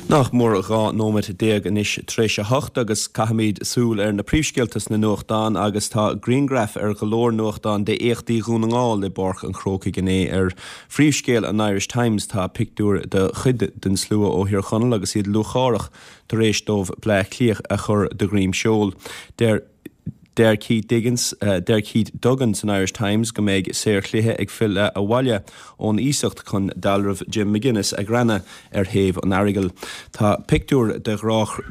Nach mór 12 nóiméad anois tar éis a hocht agus caithfimid súil ar na príomhscéalta sna nuachtáin agus tá grianghraif ar go leor nuachtán d'éachtaí Dhún na nGall i bPáirc an Chrócaigh inné. Ar phríomhscéal an Irish Times tá pictiúr de chuid den slua ó Thír Chonaill agus iad lúcháireach tar éis dóibh Bleá Cliath a chur de dhroim seoil. Deir. Deir Keith Diggins, deir Keith Duggan san Irish Times go mbeidh saorchluiche ag filleadh abhaile ón iasacht chun dealramh Jim McGuinness a ghreanadh ar thaobh an Earagail. Tá pictiúr de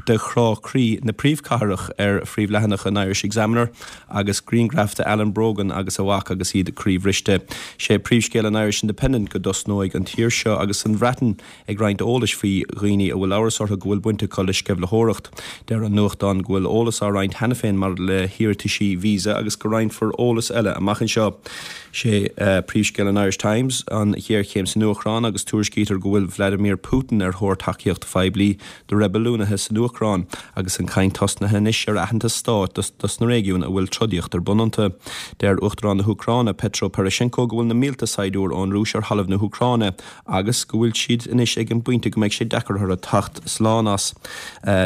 de chrá croí na príomhchathrach ar phríomhleathanach an Irish Examiner agus grianghraf de Alan Brogan agus a mhac agus iad croíbhriste. Sé príomhscéal an Irish Independent go dtosnóidh an tír seo agus an Bhreatain ag roinnt eolais faoi dhaoine a bhfuil amhras orthu go bhfuil baint acu le sceimhlitheoireacht. Deir an nuachtán go bhfuil eolas á roinnt cheana féin maidir le hiarrataisí visa agus go roinnfear eolas eile amach anseo. Sé príomhscéal an Irish Times an ghéarchéim san Úcráin agus tuairiscítear go bhfuil Vladimir Putin ar thóir tacaíocht phoiblí do reibiliúnaithe san Úcráin agus an chaint tosnaithe anois ar aitheantas stáit dos na réigiúin a bhfuil trodaíocht ar bun iontu. Deir Uachtarán na hÚcráine Petro Poroshenko go bhfuil na mílte saighdiúir ón Rúis ar thalamh na hÚcráine agus go bhfuil siad anois ag an bpointe go mbeidh sé deacair orthu teacht slán as.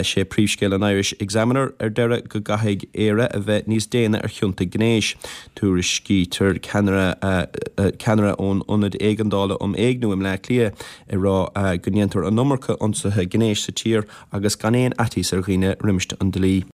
Sé príomhscéal an Irish Examiner ar deireadh go gcaithfidh Éire a bheith níos déine ar chionta gnéis. Tuairiscítear ceannaire ceannaire ón Ionad Éigeandála um Éigniú i mBleá Cliath ag rá go ndéantar an iomarca ionsaithe gnéis sa tír agus gan aon fhaitíos ar dhaoine roimis an dlí.